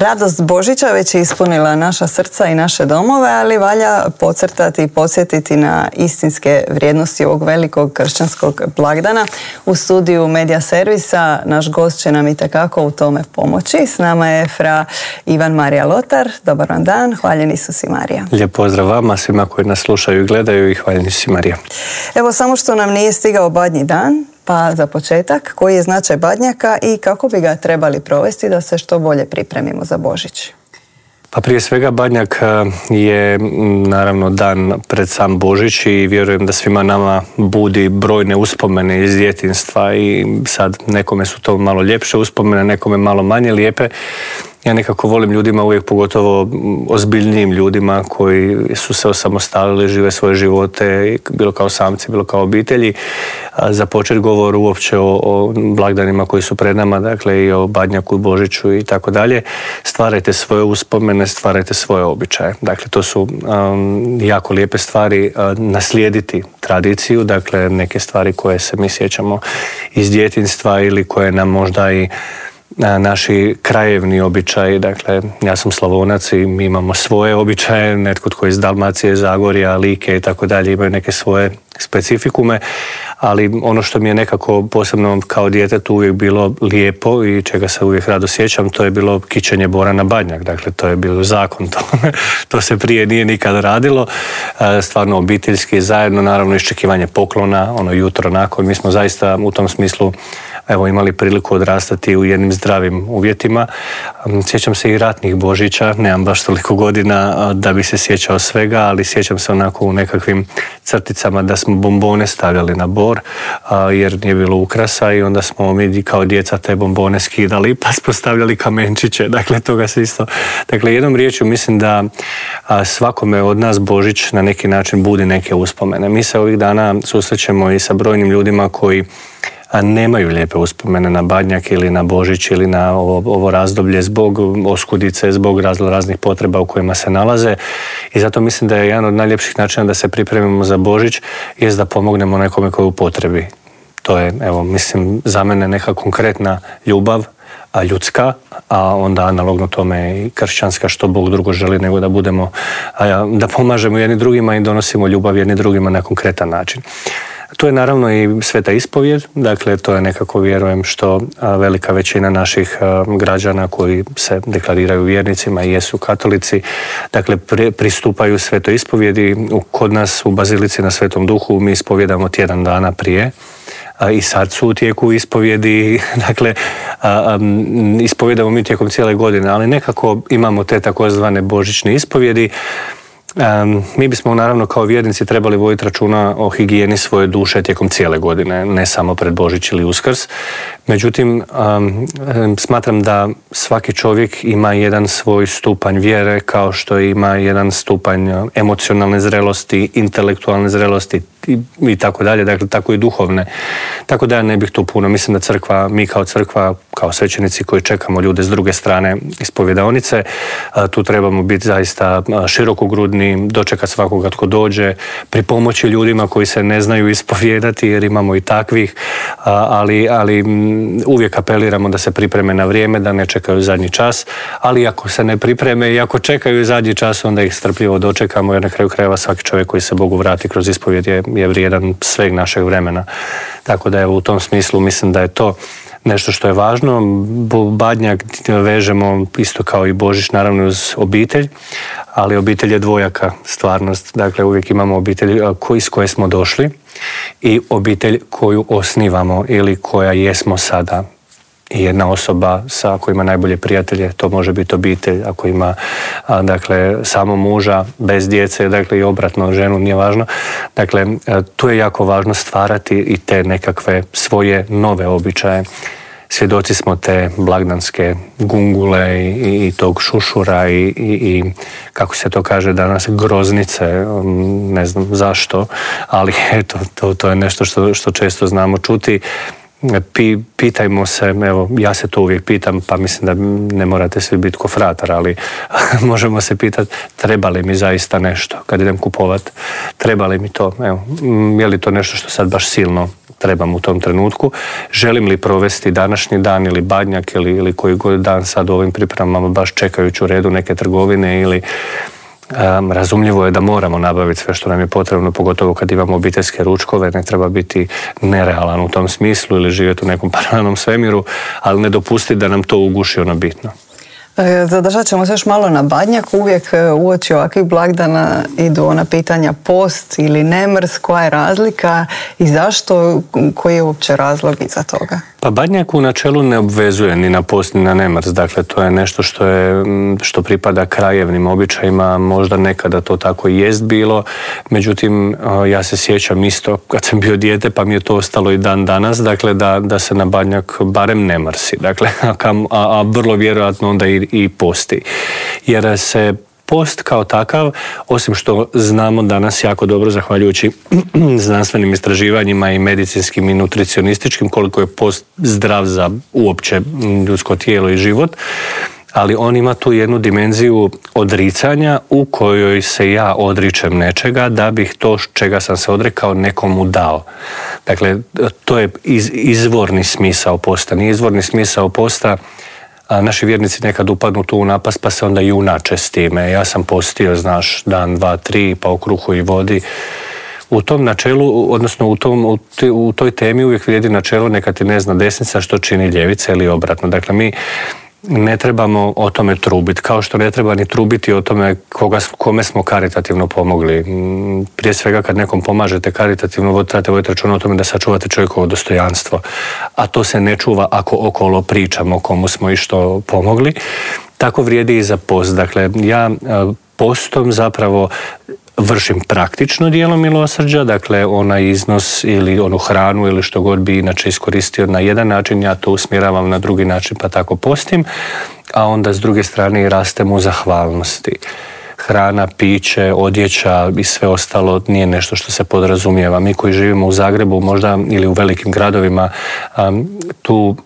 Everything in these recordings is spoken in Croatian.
Radost Božića već je ispunila naša srca i naše domove, ali valja podcrtati i podsjetiti na istinske vrijednosti ovog velikog kršćanskog blagdana. U studiju Medija servisa naš gost će nam itekako u tome pomoći. S nama je fra Ivan Marija Lotar. Dobar vam dan, hvaljen Isus i Marija. Lijep pozdrav vama, svima koji nas slušaju i gledaju, i hvaljen Isus i Marija. Evo, samo što nam nije stigao Badnji dan, pa za početak, koji je značaj Badnjaka i kako bi ga trebali provesti da se što bolje pripremimo za Božić? Pa prije svega Badnjak je naravno dan pred sam Božić i vjerujem da svima nama budi brojne uspomene iz djetinjstva i sad nekome su to malo ljepše uspomene, nekome malo manje lijepe. Ja nekako volim ljudima uvijek, pogotovo ozbiljnijim ljudima koji su se osamostalili, žive svoje živote, bilo kao samci, bilo kao obitelji, započeti govor uopće o blagdanima koji su pred nama, dakle i o Badnjaku, Božiću i tako dalje. Stvarajte svoje uspomene, stvarajte svoje običaje. Dakle, to su jako lijepe stvari, naslijediti tradiciju, dakle neke stvari koje se mi sjećamo iz djetinjstva ili koje nam možda i naši krajevni običaji, dakle ja sam Slavonac i mi imamo svoje običaje, netko tko je iz Dalmacije, Zagorja, Like i tako dalje imaju neke svoje specifikume, ali ono što mi je nekako posebno kao djetetu uvijek bilo lijepo i čega se uvijek rado sjećam, to je bilo kićenje bora na Badnjak, dakle to je bilo zakon, to se prije nije nikad radilo, stvarno obiteljski, zajedno, naravno iščekivanje poklona, ono jutro nakon, mi smo zaista u tom smislu imali priliku odrastati u jednim zdravim uvjetima. Sjećam se i ratnih Božića, nemam baš toliko godina da bi se sjećao svega, ali sjećam se onako u nekakvim crticama da smo bombone stavljali na bor, jer nije bilo ukrasa i onda smo mi kao djeca te bombone skidali pa smo stavljali kamenčiće, dakle toga se isto. Dakle, jednom riječju mislim da svakome od nas Božić na neki način budi neke uspomene. Mi se ovih dana susrećemo i sa brojnim ljudima koji nemaju lijepe uspomene na Badnjak ili na Božić ili na ovo razdoblje zbog oskudice, zbog raznih potreba u kojima se nalaze i zato mislim da je jedan od najljepših načina da se pripremimo za Božić jest da pomognemo nekome koji je u potrebi. To je, mislim, za mene neka konkretna ljubav, ljudska, a onda analogno tome i kršćanska, što Bog drugo želi nego da budemo, da pomažemo jedni drugima i donosimo ljubav jedni drugima na konkretan način. Tu je naravno i sveta ispovijed, dakle to je nekako, vjerujem, što velika većina naših građana koji se deklariraju vjernicima i jesu katolici, dakle pristupaju svetoj ispovjedi. Kod nas u Bazilici na Svetom Duhu mi ispovjedamo tjedan dana prije i sad su u tijeku ispovjedi, dakle ispovjedamo mi tijekom cijele godine, ali nekako imamo te takozvane božićne ispovjedi. Mi bismo naravno kao vjernici trebali voditi računa o higijeni svoje duše tijekom cijele godine, ne samo pred Božić ili Uskrs. Međutim, smatram da svaki čovjek ima jedan svoj stupanj vjere, kao što ima jedan stupanj emocionalne zrelosti, intelektualne zrelosti i tako dalje, dakle tako i duhovne. Tako da ja ne bih tu puno. Mislim da crkva, mi kao crkva, kao svećenici koji čekamo ljude s druge strane ispovjedaonice, tu trebamo biti zaista širokogrudni, dočekati svakoga tko dođe, pripomoći ljudima koji se ne znaju ispovjedati, jer imamo i takvih, ali uvijek apeliramo da se pripreme na vrijeme, da ne čekaju zadnji čas, ali ako se ne pripreme i ako čekaju zadnji čas, onda ih strpljivo dočekamo, jer na kraju krajeva svaki čovjek koji se Bogu vrati kroz ispovjed je vrijedan sveg našeg vremena. Tako da u tom smislu mislim da je to nešto što je važno. Badnjak vežemo isto kao i Božić naravno uz obitelj, ali obitelj je dvojaka stvarnost. Dakle, uvijek imamo obitelj iz koje smo došli i obitelj koju osnivamo ili koja jesmo sada. I jedna osoba ako ima najbolje prijatelje, to može biti obitelj, ako ima dakle samo muža bez djece, dakle i obratno ženu, nije važno. Dakle, tu je jako važno stvarati i te nekakve svoje nove običaje. Svjedoci smo te blagdanske gungule i tog šušura i kako se to kaže danas, groznice, ne znam zašto, ali eto, to je nešto što često znamo čuti. Pitajmo se, ja se to uvijek pitam, pa mislim da ne morate svi biti ko fratar, ali možemo se pitati treba li mi zaista nešto kad idem kupovat, treba li mi to, je li to nešto što sad baš silno trebam u tom trenutku. Želim li provesti današnji dan ili Badnjak ili koji god dan sad u ovim pripremama baš čekajući u redu neke trgovine ili razumljivo je da moramo nabaviti sve što nam je potrebno, pogotovo kad imamo obiteljske ručkove, ne treba biti nerealan u tom smislu ili živjeti u nekom paralelnom svemiru, ali ne dopustiti da nam to uguši ono bitno. Zadržat ćemo se još malo na Badnjak. Uvijek uoči ovakvih blagdana idu ona pitanja post ili nemrs, koja je razlika i zašto, koji je uopće razlog iza toga? Pa Badnjak u načelu ne obvezuje ni na post ni na nemrs, dakle to je nešto što pripada krajevnim običajima, možda nekada to tako i jest bilo, međutim ja se sjećam isto kad sam bio dijete pa mi je to ostalo i dan danas, dakle da se na Badnjak barem ne mrsi, dakle, a vrlo vjerojatno onda i posti. Jer se post kao takav, osim što znamo danas jako dobro, zahvaljujući znanstvenim istraživanjima i medicinskim i nutricionističkim, koliko je post zdrav za uopće ljudsko tijelo i život, ali on ima tu jednu dimenziju odricanja u kojoj se ja odričem nečega da bih to čega sam se odrekao nekomu dao. Dakle, to je izvorni smisao posta. Nije izvorni smisao posta naši vjernici nekad upadnu tu u napast pa se onda junače s time. Ja sam postio, znaš, dan, 2, 3, pa u kruhu i vodi. U tom načelu, odnosno u toj temi uvijek vrijedi načelo neka ti ne zna desnica što čini ljevica ili obratno. Dakle, mi ne trebamo o tome trubiti, kao što ne treba ni trubiti o tome kome smo karitativno pomogli. Prije svega kad nekom pomažete karitativno, trebate voditi računa o tome da sačuvate čovjekovo dostojanstvo, a to se ne čuva ako okolo pričamo komu smo i što pomogli. Tako vrijedi i za post. Dakle, ja postom zapravo vršim praktično djelo milosrđa, dakle onaj iznos ili onu hranu ili što god bi inače iskoristio na jedan način, ja to usmjeravam na drugi način pa tako postim, a onda s druge strane i rastem u zahvalnosti. Hrana, piće, odjeća i sve ostalo nije nešto što se podrazumijeva. Mi koji živimo u Zagrebu možda ili u velikim gradovima tu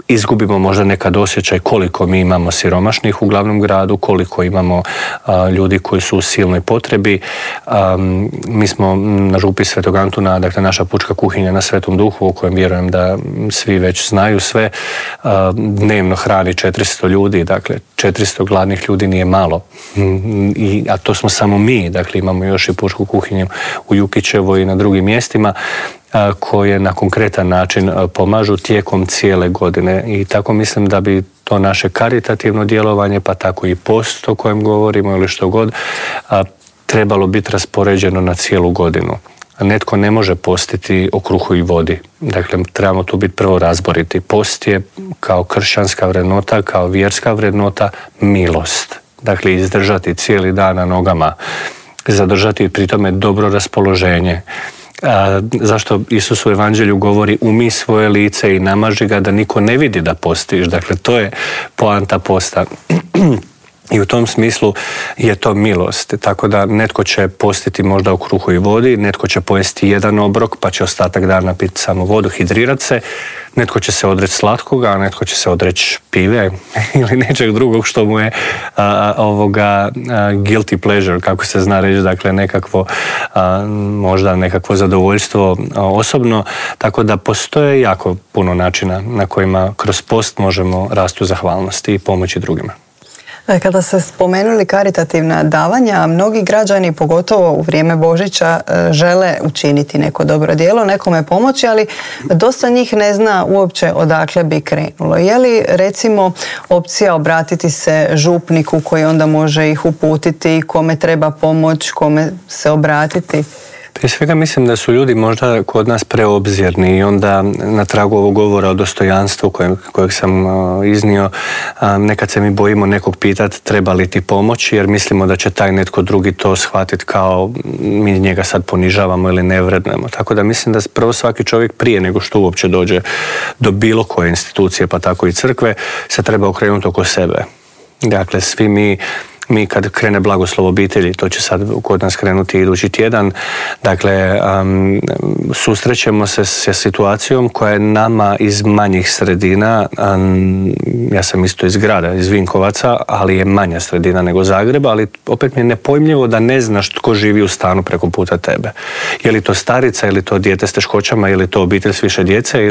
izgubimo možda nekad osjećaj koliko mi imamo siromašnih u glavnom gradu, koliko imamo ljudi koji su u silnoj potrebi. Mi smo na župi Svetog Antuna, dakle naša pučka kuhinja na Svetom Duhu, u kojem vjerujem da svi već znaju sve, dnevno hrani 400 ljudi, dakle 400 gladnih ljudi nije malo. A to smo samo mi, dakle imamo još i pučku kuhinju u Jukićevoj i na drugim mjestima koje na konkretan način pomažu tijekom cijele godine i tako mislim da bi to naše karitativno djelovanje, pa tako i post o kojem govorimo ili što god, trebalo biti raspoređeno na cijelu godinu. Netko ne može postiti o kruhu i vodi. Dakle, trebamo tu biti prvo razboriti. Post je kao kršćanska vrednota, kao vjerska vrednota milost. Dakle, izdržati cijeli dan na nogama, zadržati pri tome dobro raspoloženje. Zašto Isus u Evanđelju govori umij svoje lice i namaži ga da niko ne vidi da postiš. Dakle, to je poanta posta. I u tom smislu je to milost. Tako da netko će postiti možda u kruhu i vodi, netko će pojesti jedan obrok pa će ostatak dana piti samo vodu, hidrirati se, netko će se odreći slatkoga, a netko će se odreći pive ili nečeg drugog što mu je guilty pleasure, kako se zna reći, dakle nekakvo, možda nekakvo zadovoljstvo osobno. Tako da postoje jako puno načina na kojima kroz post možemo rasti u zahvalnosti i pomoći drugima. Kada ste spomenuli karitativna davanja, mnogi građani, pogotovo u vrijeme Božića, žele učiniti neko dobro djelo, nekome pomoći, ali dosta njih ne zna uopće odakle bi krenulo. Je li recimo opcija obratiti se župniku koji onda može ih uputiti, kome treba pomoć, kome se obratiti? Prije svega mislim da su ljudi možda kod nas preobzirni i onda na tragu ovog govora o dostojanstvu kojeg sam iznio, nekad se mi bojimo nekog pitati treba li ti pomoći jer mislimo da će taj netko drugi to shvatiti kao mi njega sad ponižavamo ili ne vrednujemo. Tako da mislim da prvo svaki čovjek prije nego što uopće dođe do bilo koje institucije pa tako i crkve se treba okrenuti oko sebe. Dakle, svi mi mi kad krene blagoslov obitelji, to će sad kod nas krenuti idući tjedan, dakle susrećemo se sa situacijom koja je nama iz manjih sredina, ja sam isto iz grada, iz Vinkovaca, ali je manja sredina nego Zagreba, ali opet mi je nepojmljivo da ne znaš tko živi u stanu preko puta tebe. Je li to starica, ili to dijete s teškoćama, ili to obitelj s više djece,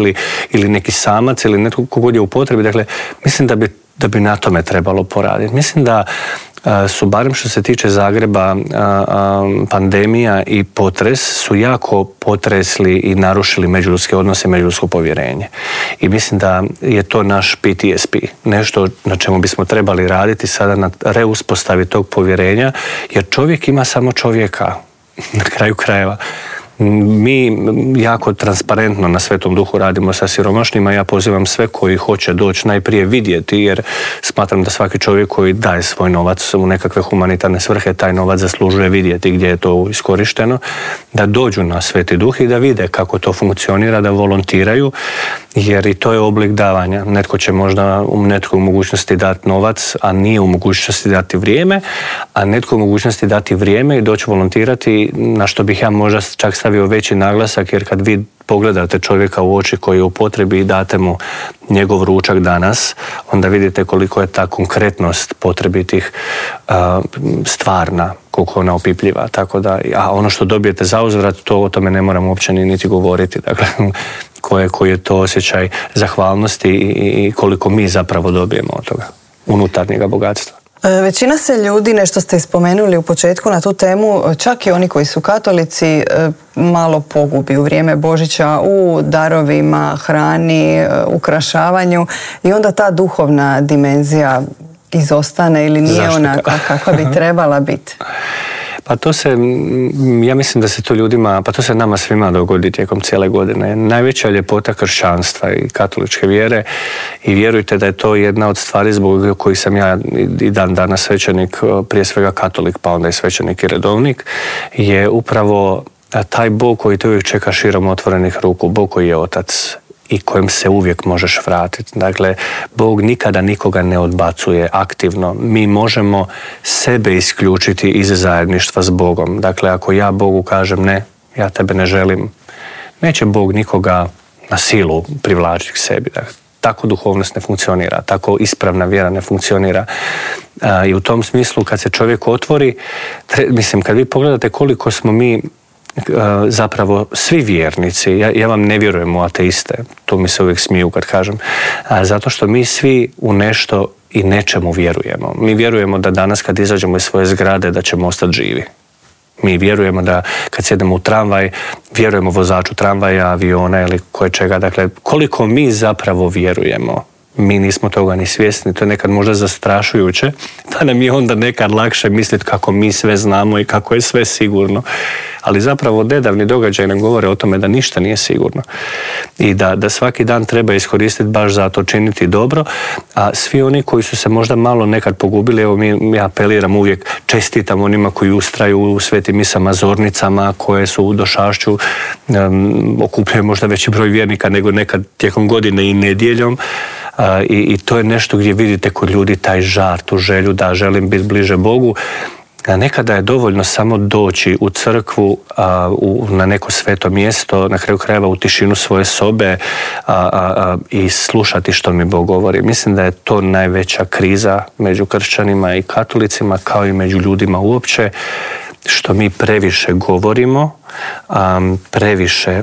ili neki samac, ili netko kogod je u potrebi. Dakle, mislim da bi na tome trebalo poraditi. Mislim da su, barem što se tiče Zagreba, pandemija i potres su jako potresli i narušili međuljudske odnose i međuljudsko povjerenje. I mislim da je to naš PTSP, nešto na čemu bismo trebali raditi sada na reuspostavi tog povjerenja, jer čovjek ima samo čovjeka na kraju krajeva. Mi jako transparentno na Svetom Duhu radimo sa siromašnima. Ja pozivam sve koji hoće doći najprije vidjeti, jer smatram da svaki čovjek koji daje svoj novac u nekakve humanitarne svrhe, taj novac zaslužuje vidjeti gdje je to iskorišteno, da dođu na Sveti Duh i da vide kako to funkcionira, da volontiraju, jer i to je oblik davanja. Netko će možda netko u mogućnosti dati novac, a nije u mogućnosti dati vrijeme, a netko u mogućnosti dati vrijeme i doći volontirati, na što bih ja možda čak stavio veći naglasak, jer kad vi pogledate čovjeka u oči koji je u potrebi i date mu njegov ručak danas, onda vidite koliko je ta konkretnost potrebitih stvarna, koliko ona opipljiva. Tako da, a ono što dobijete za uzvrat, to o tome ne moramo uopće niti govoriti. Dakle, koji je to osjećaj zahvalnosti i koliko mi zapravo dobijemo od toga unutarnjega bogatstva. Većina se ljudi, nešto ste spomenuli u početku na tu temu, čak i oni koji su katolici, malo pogubi u vrijeme Božića u darovima, hrani, ukrašavanju, i onda ta duhovna dimenzija izostane ili nije onakva kakva bi trebala biti. Pa to se, ja mislim da se to ljudima, pa to se nama svima dogodi tijekom cijele godine. Najveća ljepota kršćanstva i katoličke vjere, i vjerujte da je to jedna od stvari zbog kojih sam ja i dan danas svećenik, prije svega katolik, pa onda i svećenik i redovnik, je upravo taj Bog koji te uvijek čeka širom otvorenih ruku, Bog koji je Otac i kojem se uvijek možeš vratiti. Dakle, Bog nikada nikoga ne odbacuje aktivno. Mi možemo sebe isključiti iz zajedništva s Bogom. Dakle, ako ja Bogu kažem ne, ja tebe ne želim, neće Bog nikoga na silu privlačiti k sebi. Dakle, tako duhovnost ne funkcionira, tako ispravna vjera ne funkcionira. I u tom smislu, kad se čovjek otvori, mislim, kad vi pogledate koliko smo mi zapravo svi vjernici, ja vam ne vjerujem u ateiste, to mi se uvijek smiju kad kažem, zato što mi svi u nešto i nečemu vjerujemo. Mi vjerujemo da danas kad izađemo iz svoje zgrade da ćemo ostati živi. Mi vjerujemo da kad sjedemo u tramvaj, vjerujemo vozaču tramvaja, aviona ili koje čega. Dakle, koliko mi zapravo vjerujemo, mi nismo toga ni svjesni, to je nekad možda zastrašujuće, pa nam je onda nekad lakše misliti kako mi sve znamo i kako je sve sigurno. Ali zapravo nedavni događaj nam govore o tome da ništa nije sigurno i da svaki dan treba iskoristiti baš za to, činiti dobro, a svi oni koji su se možda malo nekad pogubili, evo ja apeliram uvijek, čestitam onima koji ustraju u svetim misama, zornicama, koje su u Došašću, okupljaju možda veći broj vjernika nego nekad tijekom godine i nedjeljom. I to je nešto gdje vidite kod ljudi taj žar, tu želju da želim biti bliže Bogu. A nekada je dovoljno samo doći u crkvu, na neko sveto mjesto, na kraju krajeva u tišinu svoje sobe i slušati što mi Bog govori. Mislim da je to najveća kriza među kršćanima i katolicima, kao i među ljudima uopće, što mi previše govorimo, previše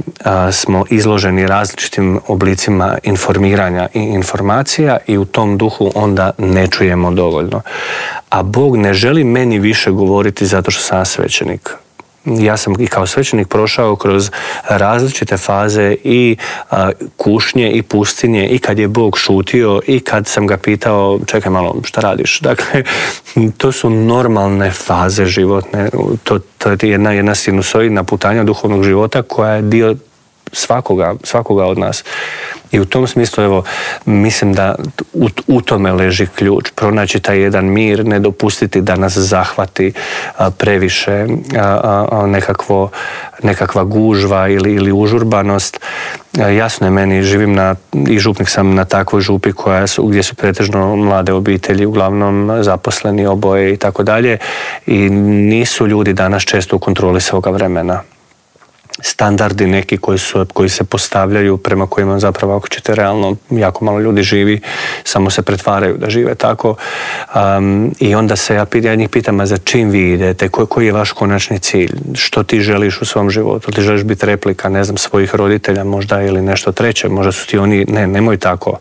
smo izloženi različitim oblicima informiranja i informacija i u tom duhu onda ne čujemo dovoljno. A Bog ne želi meni više govoriti zato što sam svećenik. Ja sam i kao svećenik prošao kroz različite faze i kušnje i pustinje, i kad je Bog šutio i kad sam ga pitao čekaj malo, šta radiš? Dakle, to su normalne faze životne. To je jedna sinusoidna putanja duhovnog života koja je dio svakoga od nas. I u tom smislu, evo, mislim da u tome leži ključ. Pronaći taj jedan mir, ne dopustiti da nas zahvati previše nekakva gužva ili užurbanost. Jasno je meni, živim i župnik sam na takvoj župi gdje su pretežno mlade obitelji, uglavnom zaposleni oboje i tako dalje. I nisu ljudi danas često u kontroli svoga vremena. Standardi neki koji se postavljaju, prema kojima zapravo, ako ćete realno, jako malo ljudi živi, samo se pretvaraju da žive tako. I onda ja njih pitam, a za čim vi idete, koji je vaš konačni cilj, što ti želiš u svom životu, ti želiš biti replika, ne znam, svojih roditelja možda ili nešto treće, možda su ti oni, nemoj tako.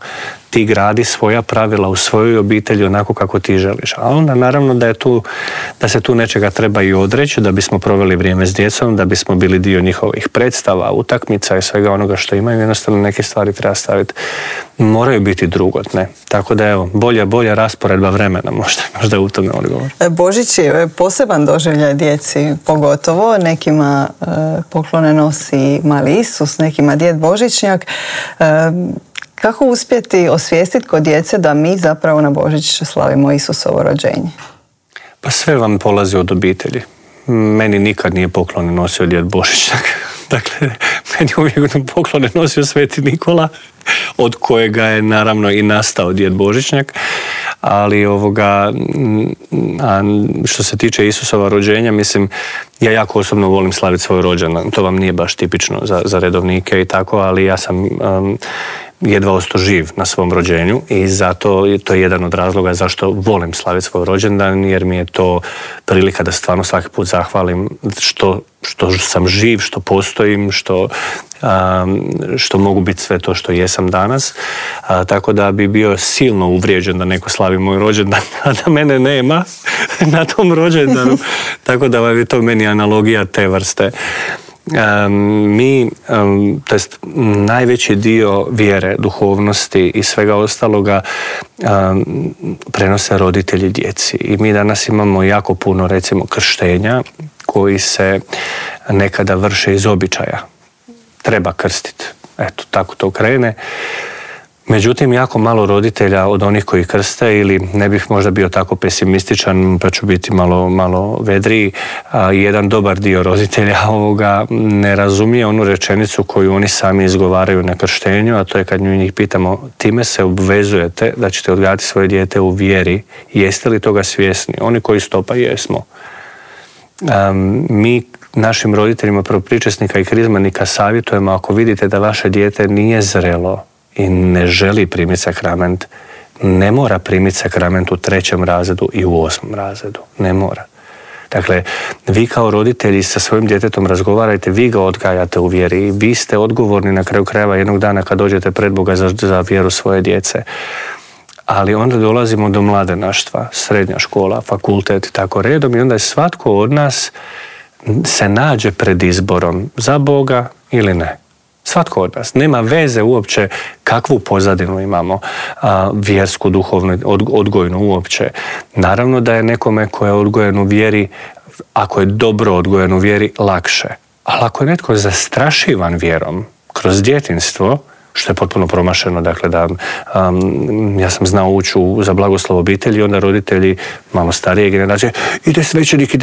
Ti gradi svoja pravila u svojoj obitelji onako kako ti želiš. A onda naravno da se tu nečega treba i odreći, da bismo proveli vrijeme s djecom, da bismo bili dio njihovih predstava, utakmica i svega onoga što imaju. Jednostavno neke stvari treba staviti. Moraju biti drugotne. Tako da evo, bolja rasporedba vremena možda je u tome odgovor. Božić je poseban doživljaj djeci, pogotovo nekima poklone nosi mali Isus, nekima djed Božićnjak. Kako uspjeti osvijestiti kod djece da mi zapravo na Božić slavimo Isusovo rođenje? Pa sve vam polazi od obitelji. Meni nikad nije poklone nosio djed Božićnjak. Dakle, meni uvijek poklone nosio Sveti Nikola, od kojega je naravno i nastao djed Božićnjak. Ali što se tiče Isusova rođenja, mislim, ja jako osobno volim slaviti svoj rođendan. To vam nije baš tipično za redovnike i tako, ali ja sam jedva ostao živ na svom rođenju i zato to je jedan od razloga zašto volim slaviti svoj rođendan, jer mi je to prilika da stvarno svaki put zahvalim što sam živ, što postojim, što mogu biti sve to što jesam danas. Tako da bi bio silno uvrijeđen da neko slavi moj rođendan, a da mene nema na tom rođendanu. Tako da je to meni analogija te vrste. Najveći dio vjere, duhovnosti i svega ostaloga prenose roditelji djeci. I mi danas imamo jako puno, recimo, krštenja koji se nekada vrše iz običaja. Treba krstiti. Eto, tako to krene. Međutim, jako malo roditelja od onih koji krste, ili ne bih možda bio tako pesimističan, pa ću biti malo vedriji, jedan dobar dio roditelja ovoga ne razumije onu rečenicu koju oni sami izgovaraju na krštenju, a to je kad njih pitamo, time se obvezujete da ćete odgajati svoje dijete u vjeri, jeste li toga svjesni? Oni koji stopa jesmo. Mi našim roditeljima prvopričesnika i krizmanika savjetujemo, ako vidite da vaše dijete nije zrelo i ne želi primiti sakrament, ne mora primiti sakrament u 3. razredu i u 8. razredu. Ne mora. Dakle, vi kao roditelji sa svojim djetetom razgovarajte, vi ga odgajate u vjeri i vi ste odgovorni na kraju krajeva jednog dana kad dođete pred Boga za vjeru svoje djece. Ali onda dolazimo do mladenaštva, srednja škola, fakultet i tako redom, i onda je svatko od nas se nađe pred izborom za Boga ili ne. Svatko od nas. Nema veze uopće kakvu pozadinu imamo, vjersku, duhovnu, odgojnu uopće. Naravno da je nekome ko je odgojen u vjeri, ako je dobro odgojen u vjeri, lakše. Ali ako je netko zastrašivan vjerom kroz djetinjstvo, što je potpuno promašeno, dakle da ja sam znao ući za blagoslov obitelji, onda roditelji malo starije generacije, ide svećenik,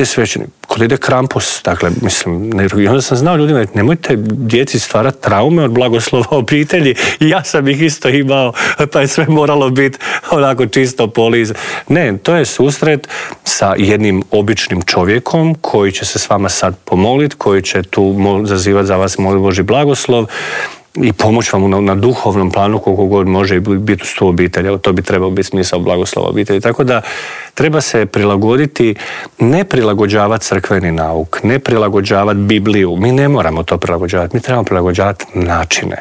kod ide Krampus, dakle, mislim, i onda sam znao ljudima, nemojte djeci stvarati traume od blagoslova obitelji, i ja sam ih isto imao, pa je sve moralo biti onako čisto poliz. Ne, to je susret sa jednim običnim čovjekom koji će se s vama sad pomoliti, koji će tu zazivati za vas moli Božji blagoslov i pomoći vam na duhovnom planu koliko god može biti uz tu obitelj. To bi trebao biti smisao blagoslova obitelji. Tako da treba se prilagoditi, ne prilagođavati crkveni nauk, ne prilagođavati Bibliju. Mi ne moramo to prilagođavati, mi trebamo prilagođavati načine.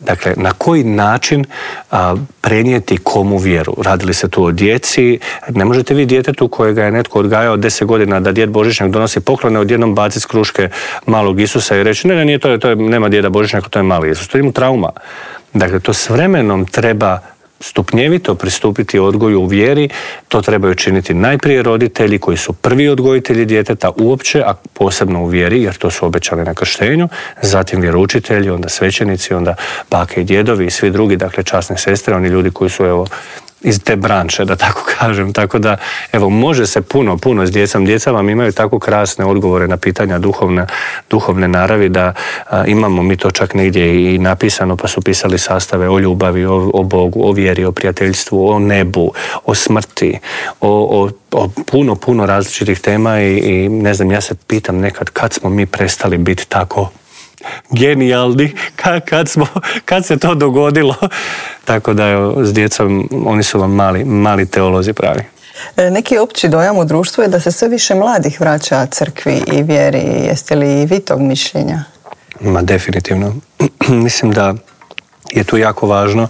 Dakle, na koji način prenijeti komu vjeru? Radili se tu o djeci. Ne možete vi djetetu kojega je netko odgajao 10 godina da djed Božićnjak donosi poklone, odjednom baciti s kruške malog Isusa i reći ne, nije to je, nema djeda Božićnjaka, to je mali Isus. To je mu trauma. Dakle, to s vremenom treba stupnjevito pristupiti odgoju u vjeri, to trebaju činiti najprije roditelji koji su prvi odgojitelji djeteta uopće, a posebno u vjeri, jer to su obećali na krštenju, zatim vjeroučitelji, onda svećenici, onda bake i djedovi i svi drugi, dakle časne sestre, oni ljudi koji su evo iz te branše, da tako kažem. Tako da, evo, može se puno s djecom. Djeca vam imaju tako krasne odgovore na pitanja duhovne naravi da imamo mi to čak negdje i napisano, pa su pisali sastave o ljubavi, o Bogu, o vjeri, o prijateljstvu, o nebu, o smrti, o puno različitih tema i ne znam, ja se pitam nekad kad smo mi prestali biti tako genijalni, kad se to dogodilo. Tako da evo, s djecom oni su vam mali teolozi pravi. Neki opći dojam u društvu je da se sve više mladih vraća crkvi i vjeri. Jeste li vi tog mišljenja? Ma definitivno. Mislim da je tu jako važno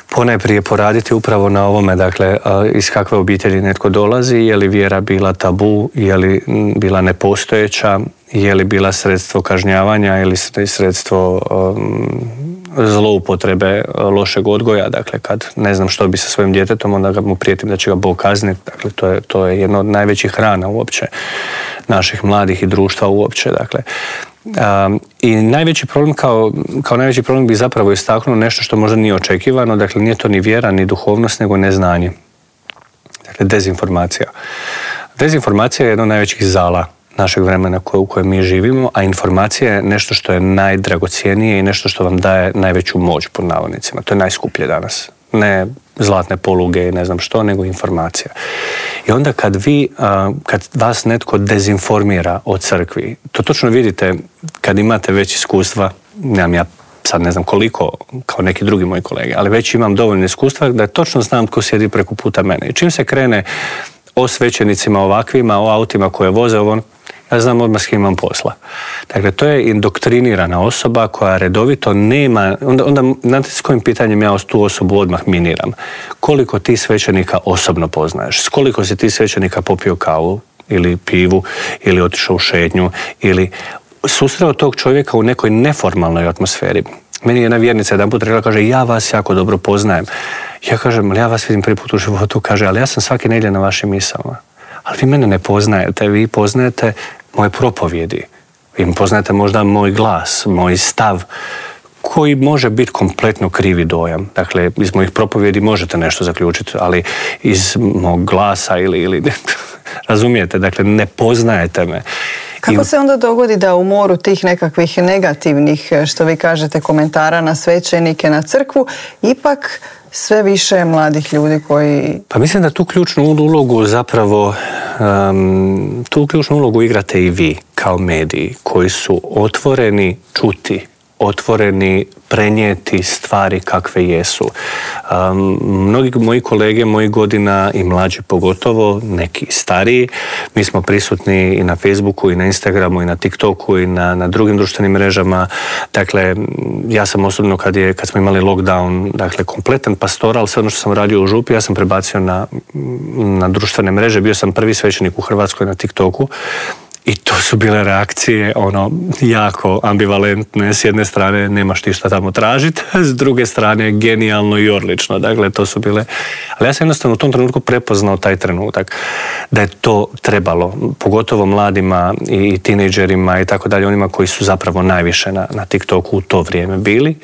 ponajprije poraditi upravo na ovome, dakle, iz kakve obitelji netko dolazi, je li vjera bila tabu, je li bila nepostojeća, je li bila sredstvo kažnjavanja ili sredstvo zloupotrebe lošeg odgoja, dakle kad ne znam što bi sa svojim djetetom, onda mu prijetim da će ga Bog kazniti, dakle to je jedna od najvećih rana uopće naših mladih i društva uopće, dakle. I najveći problem kao najveći problem bi zapravo istaknuo nešto što možda nije očekivano, dakle nije to ni vjera, ni duhovnost, nego neznanje. Dakle, dezinformacija. Dezinformacija je jedno od najvećih zala našeg vremena u kojem mi živimo, a informacija je nešto što je najdragocjenije i nešto što vam daje najveću moć, pod navodnicima. To je najskuplje danas. Ne zlatne poluge i ne znam što, nego informacija. I onda kad vas netko dezinformira o crkvi, to točno vidite kad imate već iskustva, nemam ja sad ne znam koliko, kao neki drugi moji kolege, ali već imam dovoljno iskustva da točno znam tko sjedi preko puta mene. I čim se krene o svećenicima ovakvima, o autima koje voze, ja znam odmah s kim imam posla. Dakle, to je indoktrinirana osoba koja redovito nema, onda znate s kojim pitanjem ja tu osobu odmah miniram. Koliko ti svećenika osobno poznaješ? S koliko si ti svećenika popio kavu ili pivu ili otišao u šetnju ili susreo tog čovjeka u nekoj neformalnoj atmosferi. Meni je jedna vjernica jedanput rekla, kaže, ja vas jako dobro poznajem. Ja kažem, ali ja vas vidim prvi put u životu, kaže, ali ja sam svake nedjelje na vašim misama. Ali vi mene ne poznajete, vi poznajete moje propovjedi. Vi poznajete možda moj glas, moj stav, koji može biti kompletno krivi dojam. Dakle, iz mojih propovjedi možete nešto zaključiti, ali iz mog glasa ili razumijete, dakle, ne poznajete me. Kako se onda dogodi da u moru tih nekakvih negativnih, što vi kažete, komentara na svećenike, na crkvu, ipak sve više mladih ljudi koji... Pa mislim da tu ključnu ulogu zapravo, tu ključnu ulogu igrate i vi kao mediji koji su otvoreni čuti, otvoreni prenijeti stvari kakve jesu. Mnogi moji kolege, mojih godina i mlađi pogotovo, neki stariji, mi smo prisutni i na Facebooku i na Instagramu i na TikToku i na drugim društvenim mrežama. Dakle, ja sam osobno kad smo imali lockdown, dakle kompletan pastoral, sve ono što sam radio u župi, ja sam prebacio na društvene mreže, bio sam prvi svećenik u Hrvatskoj na TikToku. I to su bile reakcije jako ambivalentne. S jedne strane nemaš ti šta tamo tražiti, s druge strane genijalno i odlično. Dakle, to su bile... Ali ja sam jednostavno u tom trenutku prepoznao taj trenutak da je to trebalo, pogotovo mladima i tinejdžerima i tako dalje, onima koji su zapravo najviše na TikToku u to vrijeme bili.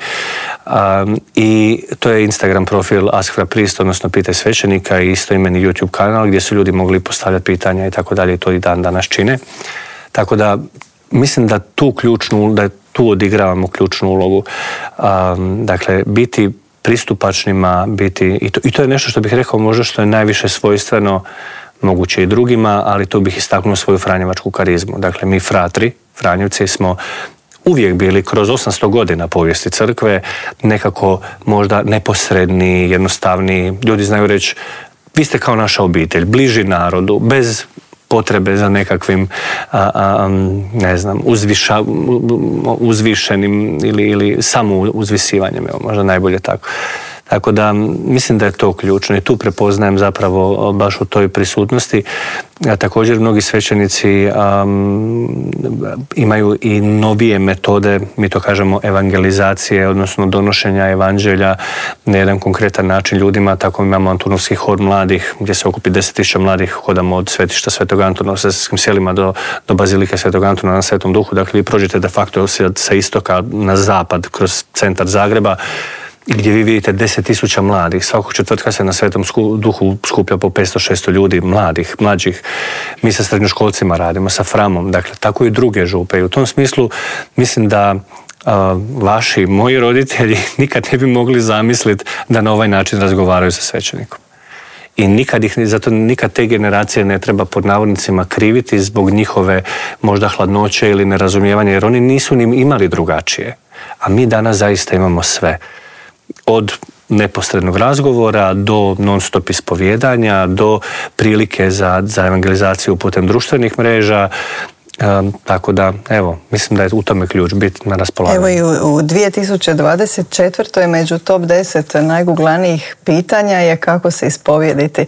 I to je Instagram profil Ask for a Priest, odnosno Pitaj svećenika, i istoimeni YouTube kanal gdje su ljudi mogli postavljati pitanja i tako dalje, i to i dan danas čine. Tako da mislim da tu odigravamo ključnu ulogu. Dakle, biti pristupačnima, i to je nešto što bih rekao možda što je najviše svojstveno, moguće i drugima, ali tu bih istaknuo svoju franjevačku karizmu. Dakle, mi Franjevci smo uvijek bili kroz 800 godina povijesti crkve nekako možda neposredni, jednostavni. Ljudi znaju reći, vi ste kao naša obitelj, bliži narodu, bez potrebe za nekakvim ne znam, uzvišenim ili samo uzvisivanjem, možda najbolje tako. Tako da mislim da je to ključno i tu prepoznajem zapravo baš u toj prisutnosti. Također mnogi svećenici imaju i novije metode, mi to kažemo evangelizacije, odnosno donošenja evanđelja na jedan konkretan način ljudima. Tako imamo Antunovski hod mladih gdje se okupi 10.000 mladih, hodamo od svetišta Svetog Antuna u Sesvetskim selima do Bazilike Svetog Antuna na Svetom Duhu. Dakle, vi prođete de facto sa istoka na zapad kroz centar Zagreba, gdje vi vidite 10.000 mladih. Svakog četvrtka se na Svetom Duhu skuplja po 500-600 ljudi, mlađih. Mi sa srednjoškolcima radimo, sa Framom, dakle, tako i druge župe. I u tom smislu mislim da vaši, moji roditelji nikad ne bi mogli zamisliti da na ovaj način razgovaraju sa svećenikom. I zato nikad te generacije ne treba pod navodnicima kriviti zbog njihove možda hladnoće ili nerazumijevanja, jer oni nisu ni imali drugačije. A mi danas zaista imamo sve. Od neposrednog razgovora do non-stop ispovijedanja, do prilike za evangelizaciju putem društvenih mreža. Tako da, evo, mislim da je u tome ključ biti na raspolaganju. Evo i u 2024. među top 10 najguglanijih pitanja je kako se ispovijediti.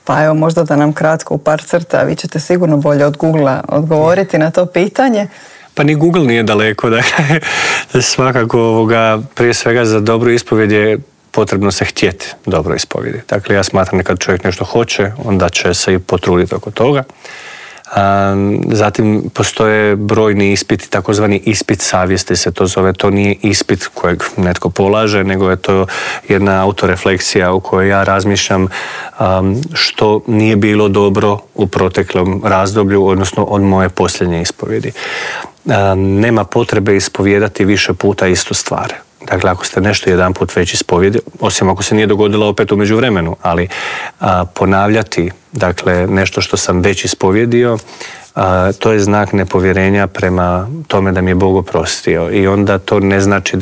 Pa evo, možda da nam kratko u par crta, vi ćete sigurno bolje od Googlea odgovoriti na to pitanje. Pa ni Google nije daleko, dakle, svakako prije svega za dobru ispovjed je potrebno se htjeti dobro ispovjediti. Dakle, ja smatram da kad čovjek nešto hoće, onda će se i potruditi oko toga. Zatim postoje brojni ispiti, takozvani ispit savjesti se to zove. To nije ispit kojeg netko polaže, nego je to jedna autorefleksija u kojoj ja razmišljam što nije bilo dobro u proteklom razdoblju, odnosno od moje posljednje ispovjedi. Nema potrebe ispovijedati više puta istu stvar. Dakle, ako ste nešto jedan put već ispovjedili, osim ako se nije dogodilo opet u međuvremenu, ali ponavljati, dakle, nešto što sam već ispovjedio, to je znak nepovjerenja prema tome da mi je Bog oprostio. I onda to ne znači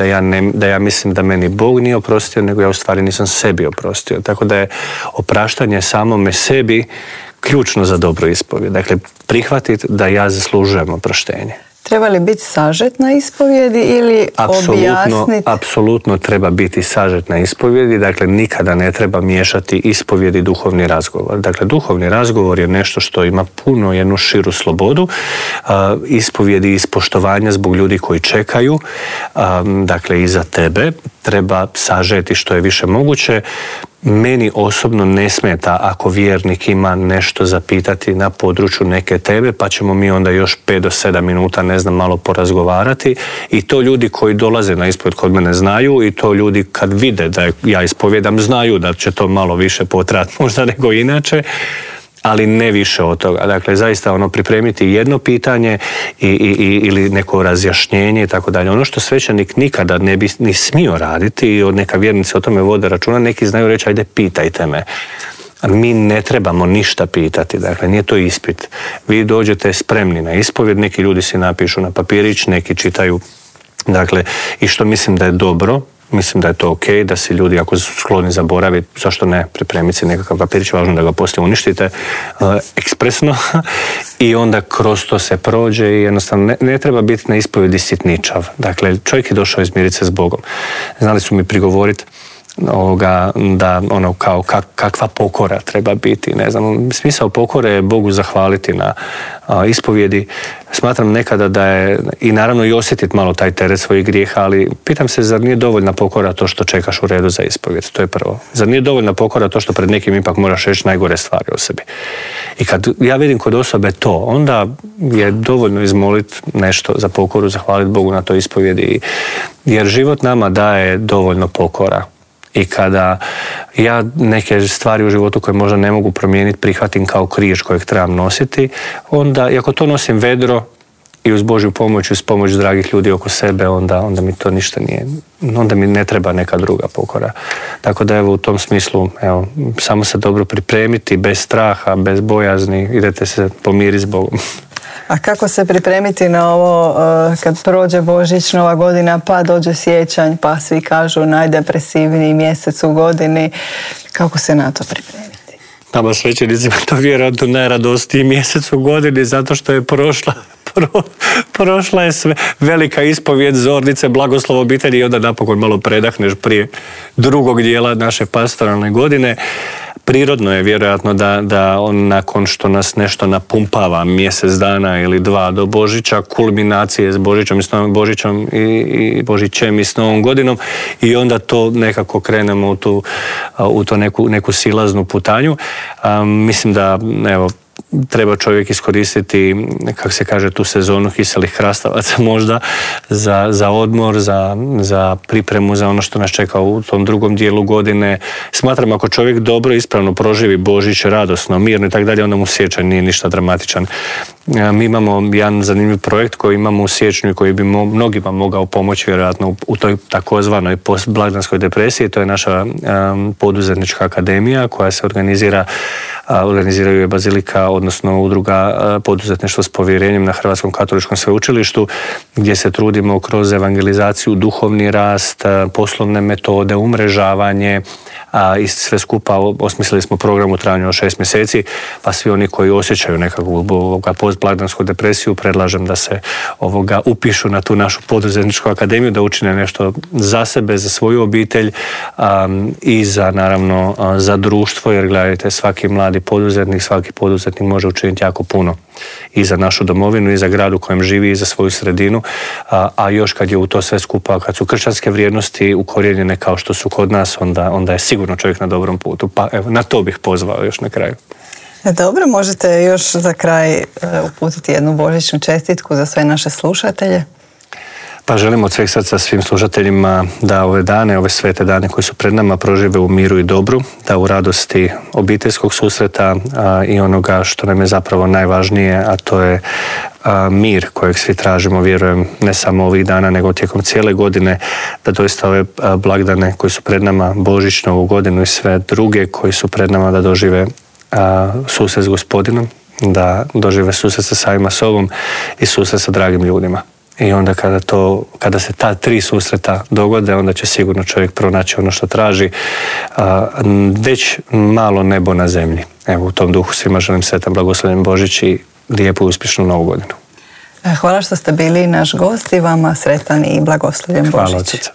da ja mislim da meni Bog nije oprostio, nego ja u stvari nisam sebi oprostio. Tako da je opraštanje samome sebi ključno za dobru ispovjed. Dakle, prihvatiti da ja zaslužujem oproštenje. Treba li biti sažet na ispovjedi ili objasniti? Apsolutno treba biti sažet na ispovjedi, dakle nikada ne treba miješati ispovjed i duhovni razgovor. Dakle, duhovni razgovor je nešto što ima puno jednu širu slobodu, ispovjedi iz poštovanja zbog ljudi koji čekaju, dakle i za tebe, treba sažeti što je više moguće. Meni osobno ne smeta ako vjernik ima nešto zapitati na području neke teme, pa ćemo mi onda još 5 do 7 minuta, malo porazgovarati. I to ljudi koji dolaze na ispovjed kod mene znaju, i to ljudi kad vide da ja ispovjedam znaju da će to malo više potrajati možda nego inače, ali ne više od toga. Dakle, zaista pripremiti jedno pitanje ili neko razjašnjenje i tako dalje. Ono što svećenik nikada ne bi ni smio raditi, i neka vjernici o tome vode računa, neki znaju reći ajde pitajte me. Mi ne trebamo ništa pitati, dakle nije to ispit. Vi dođete spremni na ispovjed, neki ljudi si napišu na papirić, neki čitaju, dakle, i što mislim da je dobro. Mislim da je to ok, da si ljudi ako su skloni zaboraviti, zašto ne, pripremiti si nekakav papirić, važno da ga poslije uništite ekspresno i onda kroz to se prođe i jednostavno ne treba biti na ispovjedi sitničav. Dakle, čovjek je došao izmiriti se s Bogom. Znali su mi prigovoriti da kao kakva pokora treba biti, smisao pokore je Bogu zahvaliti na ispovjedi. Smatram nekada da je, i naravno i osjetiti malo taj teret svojih grijeha, ali pitam se, zar nije dovoljna pokora to što čekaš u redu za ispovjed? To je prvo. Zar nije dovoljna pokora to što pred nekim ipak moraš reći najgore stvari o sebi? I kad ja vidim kod osobe to, onda je dovoljno izmoliti nešto za pokoru, zahvaliti Bogu na toj ispovjedi, jer život nama daje dovoljno pokora. I kada ja neke stvari u životu koje možda ne mogu promijeniti prihvatim kao križ kojeg trebam nositi, onda, i ako to nosim vedro i uz Božju pomoć, uz pomoć dragih ljudi oko sebe, onda mi to ništa nije, onda mi ne treba neka druga pokora. Tako da evo u tom smislu, samo se dobro pripremiti, bez straha, bez bojazni, idete se pomiriti s Bogom. A kako se pripremiti na ovo kad prođe Božić, Nova godina, pa dođe siječanj, pa svi kažu najdepresivniji mjesec u godini. Kako se na to pripremiti? Nama svećenicima to vjerojatno najradosniji mjesec u godini zato što je prošla je sve velika ispovijed, zornice, blagoslov obitelji i onda napokon malo predahneš prije drugog dijela naše pastoralne godine. Prirodno je vjerojatno da on nakon što nas nešto napumpava mjesec dana ili dva do Božića, kulminacije s Božićem i Božićem i s Novom godinom i onda to nekako krenemo u to neku silaznu putanju. Mislim da evo treba čovjek iskoristiti, kako se kaže, tu sezonu kiselih krastavaca možda za odmor, za pripremu za ono što nas čeka u tom drugom dijelu godine. Smatram ako čovjek dobro ispravno proživi Božić radosno, mirno i tako dalje, onda mu siječanj nije ništa dramatičan. Mi imamo jedan zanimljiv projekt koji imamo u siječnju i koji bi mnogima mogao pomoći vjerojatno u toj takozvanoj postblagdanskoj depresiji. To je naša poduzetnička akademija koja se organiziraju je Bazilika, odnosno udruga poduzetništvo s povjerenjem na Hrvatskom katoličkom sveučilištu, gdje se trudimo kroz evangelizaciju, duhovni rast, poslovne metode, umrežavanje, i sve skupa osmislili smo program u trajanju od 6 mjeseci, pa svi oni koji osjećaju nekakvu postblagdansku depresiju predlažem da se upišu na tu našu poduzetničku akademiju, da učine nešto za sebe, za svoju obitelj i naravno za društvo, jer gledajte, svaki mladi poduzetnik, svaki poduzetnik može učiniti jako puno i za našu domovinu i za grad u kojem živi i za svoju sredinu, a još kad je u to sve skupa, kad su kršćanske vrijednosti ukorijenjene kao što su kod nas, onda je sigurno čovjek na dobrom putu. Pa evo, na to bih pozvao još na kraju. Dobro, možete još za kraj uputiti jednu božićnu čestitku za sve naše slušatelje? Pa želim od sveg srca svim slušateljima da ove dane, ove svete dane koji su pred nama prožive u miru i dobru, da u radosti obiteljskog susreta i onoga što nam je zapravo najvažnije, a to je mir kojeg svi tražimo, vjerujem, ne samo ovih dana, nego tijekom cijele godine, da doista ove blagdane koji su pred nama, Božić, Novu godinu i sve druge koji su pred nama, da dožive susret s Gospodinom, da dožive susret sa samima sobom i susret sa dragim ljudima. I onda kada se ta 3 susreta dogode, onda će sigurno čovjek pronaći ono što traži, već malo nebo na zemlji. Evo, u tom duhu svima želim sretan blagoslovljen Božić i lijepu i uspješnu Novu godinu. Hvala što ste bili naš gost i vama sretan i blagoslovljen Božić. Hvala od srca.